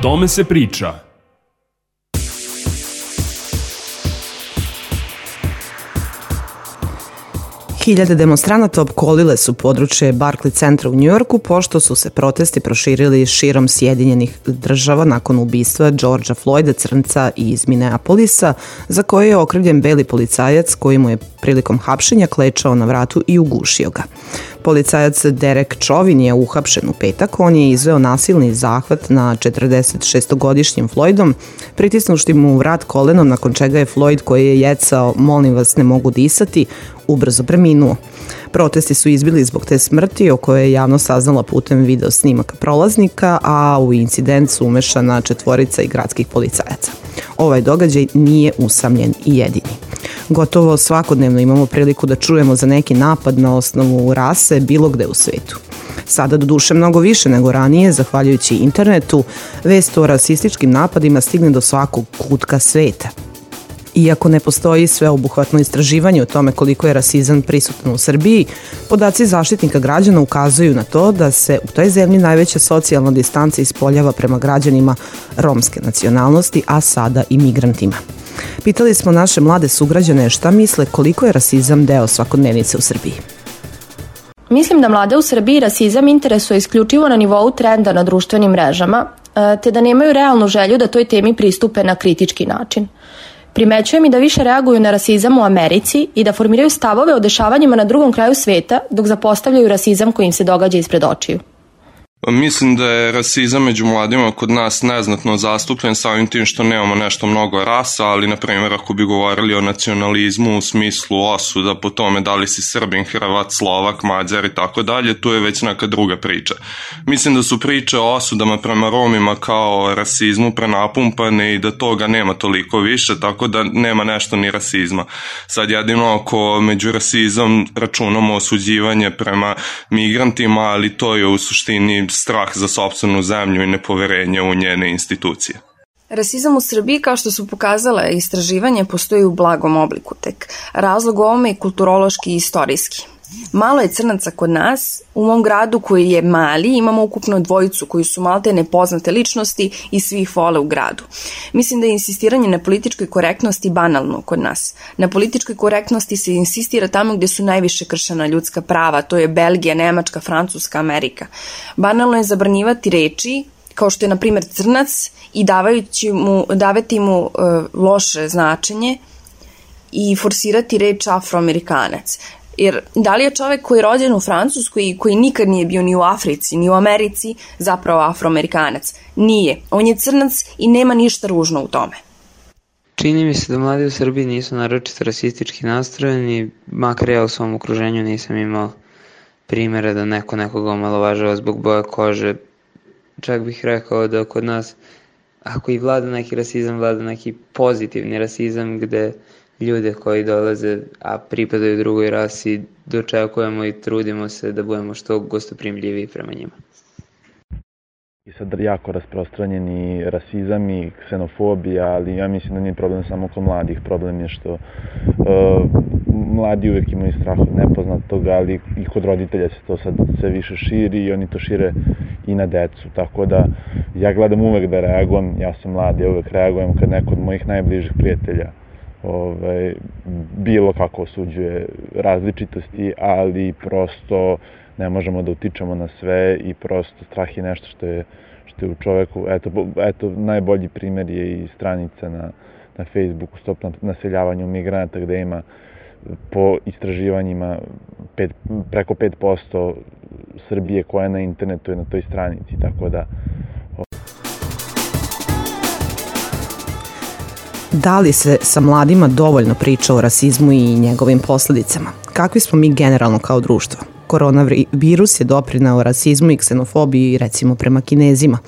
tome se priča. Hiljade demonstranata opkolile su područje Barclay centra u Njujorku pošto su se protesti proširili širom Sjedinjenih država nakon ubistva Georgea Floyda, crnca iz Minneapolisa, za koje je okrivljen beli policajac koji mu je prilikom hapšenja klečao na vratu i ugušio ga. Policajac Derek Chauvin je uhapšen u petak. On je izveo nasilni zahvat na 46-godišnjim Floydom, pritisnušti mu u vrat kolenom, nakon čega je Floyd, koji je jecao "molim vas, ne mogu disati", ubrzo preminuo. Protesti su izbili zbog te smrti, o kojoj je javnost saznala putem video snimaka prolaznika, a u incident su umešana 4 i gradskih policajaca. Ovaj događaj nije usamljen i jedini. Gotovo svakodnevno imamo priliku da čujemo za neki napad na osnovu rase bilo gde u svetu. Sada doduše mnogo više nego ranije, zahvaljujući internetu, vest o rasističkim napadima stigne do svakog kutka sveta. Iako ne postoji sveobuhvatno istraživanje o tome koliko je rasizam prisutan u Srbiji, podaci Zaštitnika građana ukazuju na to da se u toj zemlji najveća socijalna distanca ispoljava prema građanima romske nacionalnosti, a sada i migrantima. Pitali smo naše mlade sugrađane šta misle koliko je rasizam deo svakodnevnice u Srbiji. Mislim da mlade u Srbiji rasizam interesuje isključivo na nivou trenda na društvenim mrežama, te da nemaju realnu želju da toj temi pristupe na kritički način. Primećujem i da više reaguju na rasizam u Americi i da formiraju stavove o dešavanjima na drugom kraju sveta, dok zapostavljaju rasizam koji im se događa ispred očiju. Mislim da je rasizam među mladima kod nas neznatno zastupljen samim tim što nemamo nešto mnogo rasa, ali na primjer ako bi govorili o nacionalizmu u smislu osuda po tome da li si Srbin, Hrvat, Slovak, Mađar i tako dalje, tu je već neka druga priča. Mislim da su priče o osudama prema Romima kao o rasizmu prenapumpane i da toga nema toliko više, tako da nema nešto ni rasizma. Sad jedino ako među rasizam računamo osuđivanje prema migrantima, ali to je u suštini strah za sopstvenu zemlju i nepoverenje u njene institucije. Rasizam u Srbiji, kao što su pokazale istraživanje, postoji u blagom obliku tek. Razlog ovome je kulturološki i istorijski. Malo je crnaca kod nas, u mom gradu koji je mali imamo ukupno 2 koji su malte nepoznate ličnosti i svi ih vole u gradu. Mislim da je insistiranje na političkoj korektnosti banalno kod nas. Na političkoj korektnosti se insistira tamo gde su najviše kršena ljudska prava, to je Belgija, Nemačka, Francuska, Amerika. Banalno je zabranjivati reči kao što je na primjer crnac i davati mu loše značenje i forsirati reč afroamerikanac. Jer da li je čovek koji je rođen u Francuskoj i koji nikad nije bio ni u Africi, ni u Americi, zapravo afroamerikanac? Nije. On je crnac i nema ništa ružno u tome. Čini mi se da mladi u Srbiji nisu naročito rasistički nastrojeni, makar ja u svom okruženju nisam imao primjera da neko nekoga omalovažava zbog boje kože. Čak bih rekao da kod nas, ako i vlada neki rasizam, vlada neki pozitivni rasizam gde ljude koji dolaze, a pripadaju drugoj rasi, dočekujemo i trudimo se da budemo što gostoprimljiviji prema njima. I sad jako rasprostranjeni rasizam i ksenofobija, ali ja mislim da nije problem samo kod mladih. Problem je što mladi uvek imaju strah od nepoznatog, ali i kod roditelja se to sad sve više širi i oni to šire i na decu. Tako da ja gledam uvek da reagujem, ja sam mlad, ja uvek reagujem kad neko od mojih najbližih prijatelja bilo kako osuđuje različitosti, ali prosto ne možemo da utičemo na sve i prosto strah je nešto što je u čoveku. Eto najbolji primjer je i stranica na Facebooku Stop naseljavanju migranata gde ima po istraživanjima preko 5% Srbije koja je na internetu je na toj stranici, tako da Da li se sa mladima dovoljno priča o rasizmu i njegovim posledicama? Kakvi smo mi generalno kao društvo? Koronavirus je doprineo rasizmu i ksenofobiji, recimo prema Kinezima.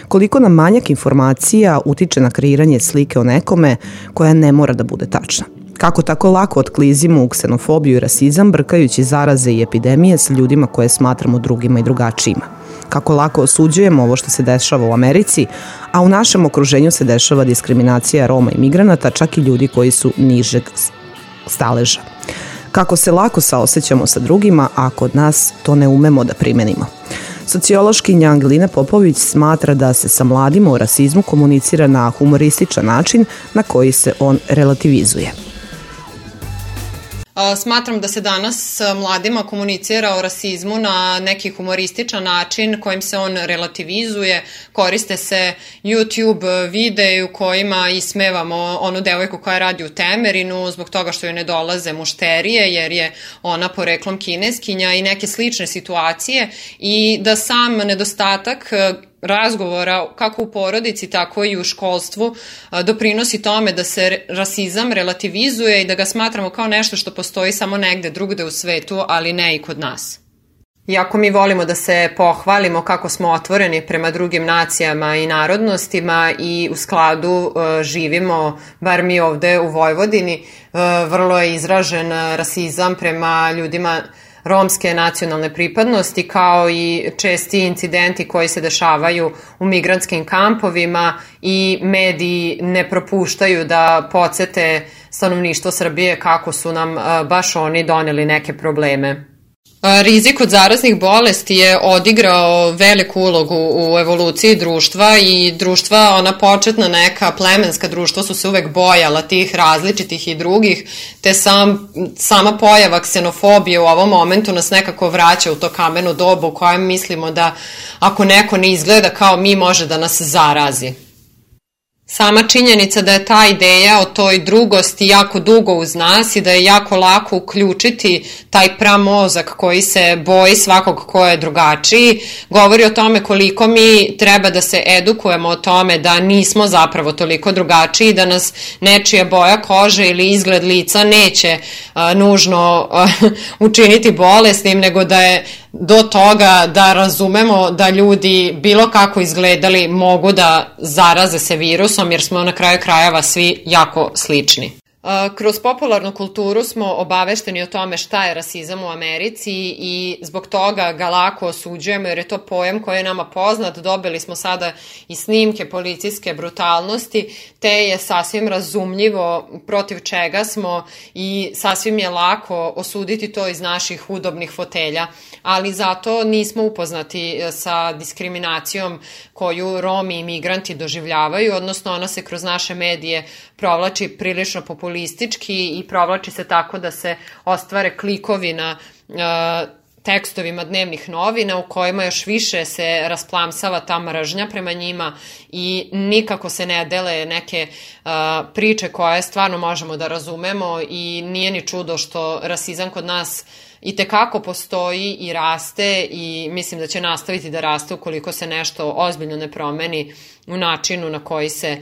Koliko nam manjak informacija utiče na kreiranje slike o nekome koja ne mora da bude tačna? Kako tako lako otklizimo u ksenofobiju i rasizam, brkajući zaraze i epidemije sa ljudima koje smatramo drugima i drugačijima? Kako lako osuđujemo ovo što se dešava u Americi, a u našem okruženju se dešava diskriminacija Roma i migranata, čak i ljudi koji su nižeg staleža. Kako se lako saosećamo sa drugima, a kod nas to ne umemo da primenimo. Sociološkinja Angelina Popović smatra da se sa mladima o rasizmu komunicira na humorističan način na koji se on relativizuje. Smatram da se danas s mladima komunicira o rasizmu na neki humorističan način kojim se on relativizuje. Koriste se YouTube videi u kojima ismevamo onu devojku koja radi u Temerinu zbog toga što joj ne dolaze mušterije jer je ona poreklom Kineskinja i neke slične situacije i da sam nedostatak razgovora kako u porodici, tako i u školstvu doprinosi tome da se rasizam relativizuje i da ga smatramo kao nešto što postoji samo negde drugde u svetu, ali ne i kod nas. Iako mi volimo da se pohvalimo kako smo otvoreni prema drugim nacijama i narodnostima i u skladu živimo, bar mi ovde u Vojvodini, vrlo je izražen rasizam prema ljudima romske nacionalne pripadnosti, kao i česti incidenti koji se dešavaju u migrantskim kampovima i mediji ne propuštaju da podsete stanovništvo Srbije kako su nam baš oni doneli neke probleme. Rizik od zaraznih bolesti je odigrao veliku ulogu u evoluciji društva i društva, ona početna neka plemenska društva su se uvek bojala tih različitih i drugih, te sama pojava ksenofobije u ovom momentu nas nekako vraća u to kameno dobu u kojem mislimo da ako neko ne izgleda kao mi može da nas zarazi. Sama činjenica da je ta ideja o toj drugosti jako dugo uz nas i da je jako lako uključiti taj pramozak koji se boji svakog ko je drugačiji, govori o tome koliko mi treba da se edukujemo o tome da nismo zapravo toliko drugačiji, da nas nečija boja kože ili izgled lica neće nužno učiniti bolesnim, nego da je do toga da razumemo da ljudi bilo kako izgledali mogu da zaraze se virusom jer smo na kraju krajeva svi jako slični. Kroz popularnu kulturu smo obavešteni o tome šta je rasizam u Americi i zbog toga ga lako osuđujemo jer je to pojam koji je nama poznat. Dobili smo sada i snimke policijske brutalnosti, te je sasvim razumljivo protiv čega smo i sasvim je lako osuditi to iz naših udobnih fotelja, ali zato nismo upoznati sa diskriminacijom koju Romi i migranti doživljavaju, odnosno ona se kroz naše medije provlači prilično populistički i provlači se tako da se ostvare klikovi na tekstovima dnevnih novina u kojima još više se rasplamsava ta mržnja prema njima i nikako se ne dele neke priče koje stvarno možemo da razumemo i nije ni čudo što rasizam kod nas itekako postoji i raste i mislim da će nastaviti da raste ukoliko se nešto ozbiljno ne promeni u načinu na koji se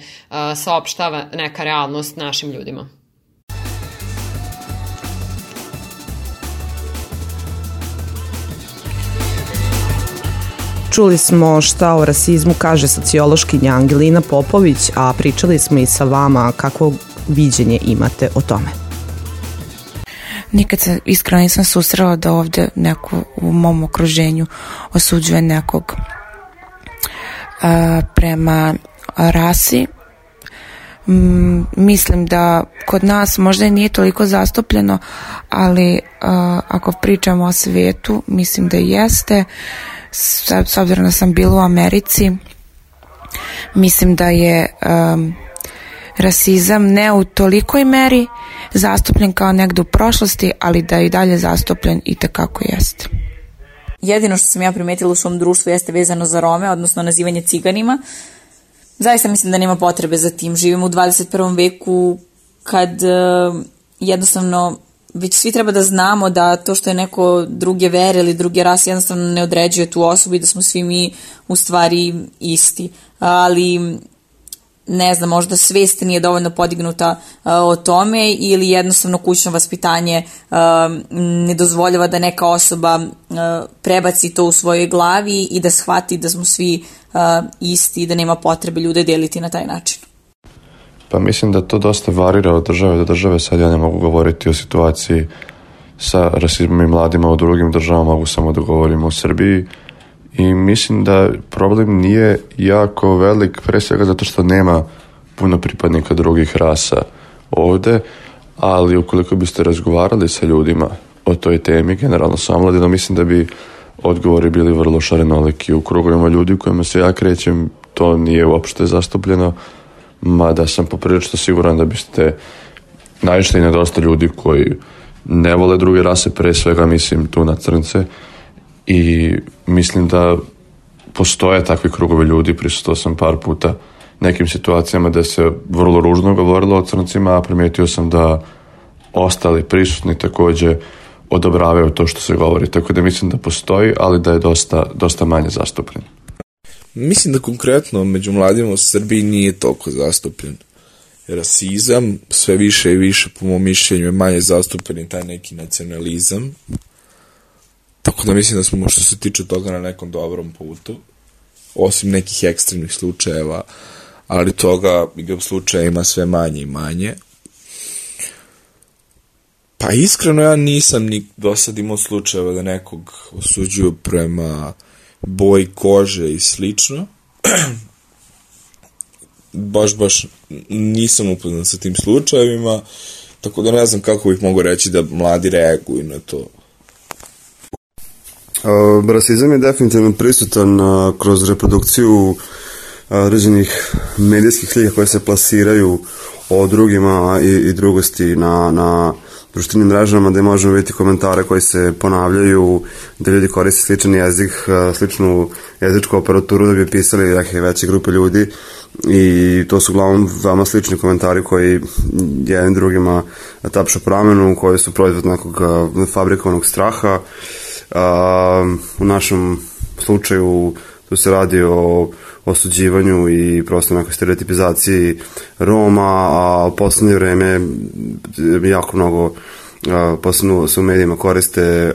saopštava neka realnost našim ljudima. Čuli smo šta o rasizmu kaže sociološkinja Angelina Popović, a pričali smo i sa vama kakvo viđenje imate o tome. Nikad se iskreno nisam susrela da ovde neko u mom okruženju osuđuje nekog prema rasi. Mislim da kod nas možda i nije toliko zastupljeno, ali ako pričamo o svetu, mislim da jeste. S obzirom da sam bila u Americi, mislim da je rasizam ne u tolikoj meri zastupljen kao negde u prošlosti, ali da je i dalje zastupljen i tekako jeste. Jedino što sam ja primetila u svom društvu jeste vezano za Rome, odnosno nazivanje ciganima. Zaista mislim da nema potrebe za tim. Živimo u 21. veku kad jednostavno već svi treba da znamo da to što je neko druge vere ili druge rase jednostavno ne određuje tu osobu i da smo svi mi u stvari isti. Ali ne znam, možda svest nije dovoljno podignuta o tome ili jednostavno kućno vaspitanje ne dozvoljava da neka osoba prebaci to u svojoj glavi i da shvati da smo svi isti i da nema potrebe ljude deliti na taj način. Pa mislim da to dosta varira od države do države. Sad ja ne mogu govoriti o situaciji sa rasizmom i mladima u drugim državama, mogu samo da govorim o Srbiji. I mislim da problem nije jako velik, pre svega zato što nema puno pripadnika drugih rasa ovde, ali ukoliko biste razgovarali sa ljudima o toj temi, generalno sa omladinom, mislim da bi odgovori bili vrlo šarenoliki. U krugovima ljudi u kojima se ja krećem to nije uopšte zastupljeno, mada sam poprilično siguran da biste naišli na dosta ljudi koji ne vole druge rase, pre svega mislim tu na crnce, i mislim da postoje takvi krugovi ljudi. Prisutao sam par puta nekim situacijama da se vrlo ružno govorilo o crncima, a primetio sam da ostali prisutni takođe odobravaju to što se govori, tako da mislim da postoji, ali da je dosta manje zastupljen. Mislim da konkretno među mladima u Srbiji nije toliko zastupljen. Rasizam sve više i više, po mom mišljenju, je manje zastupljen i taj neki nacionalizam. Tako da mislim da smo, što se tiče toga, na nekom dobrom putu, osim nekih ekstremnih slučajeva, ali toga slučaja ima sve manje i manje. Pa iskreno ja nisam ni do sad imao slučajeva da nekog osuđuju prema boji kože i slično. Baš nisam upoznan sa tim slučajevima, tako da ne znam kako bih mogu reći da mladi reaguju na to. Rasizam je definitivno prisutan kroz reprodukciju određenih medijskih slika koje se plasiraju o drugima i drugosti na društvenim mrežama, gde možemo vidjeti komentare koji se ponavljaju, da ljudi koriste sličan jezik, sličnu jezičku aparaturu da bi pisali neke veće grupe ljudi, i to su uglavnom veoma slični komentari koji jedan drugima tapšu pramenu, koji su proizvod nekog fabrikovanog straha. U našem slučaju tu se radi o osuđivanju i prosto nekoj stereotipizaciji Roma, a u poslednje vreme jako mnogo, posebno se u medijima koriste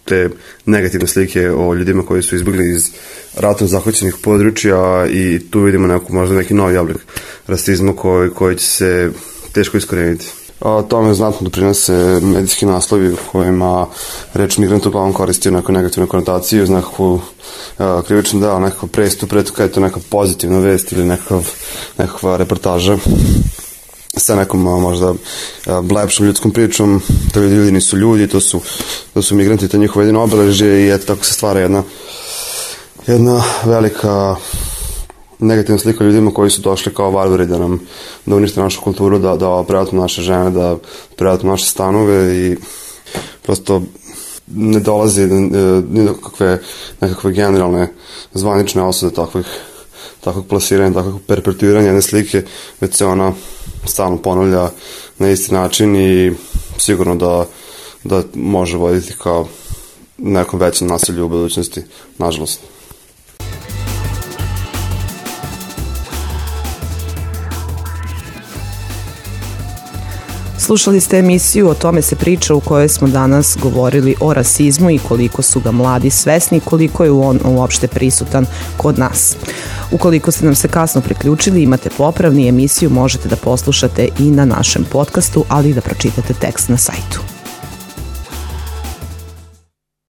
te negativne slike o ljudima koji su izbjegli iz ratom zahvaćenih područja, i tu vidimo možda neki novi oblik rasizma koji će se teško iskoreniti. Tome znatno doprinose medijski naslovi u kojima reč migrant uglavnom koristi neku negativnu konotaciju, uz nekakvu krivičnu dela, nekakav prestup, kada je to neka pozitivna vest ili nekakva reportaža sa nekom možda lepšom ljudskom pričom, da ljudi nisu ljudi, to su migranti, to je njihovo jedino obeležje, i eto tako se stvara jedna velika negativna slika ljudima koji su došli kao varvari da unište našu kulturu, da prevatnu naše žene, da prevatnu naše stanove, i prosto ne dolazi ni do nekakve generalne zvanične osude takvog plasiranja, takvog perpetuiranja jedne slike, već se ona stalno ponavlja na isti način, i sigurno da može voditi kao nekom većem nasilju u budućnosti, nažalost. Slušali ste emisiju O tome se priča, u kojoj smo danas govorili o rasizmu i koliko su ga mladi svesni, koliko je on uopšte prisutan kod nas. Ukoliko ste nam se kasno priključili, imate popravni, emisiju možete da poslušate i na našem podcastu, ali i da pročitate tekst na sajtu.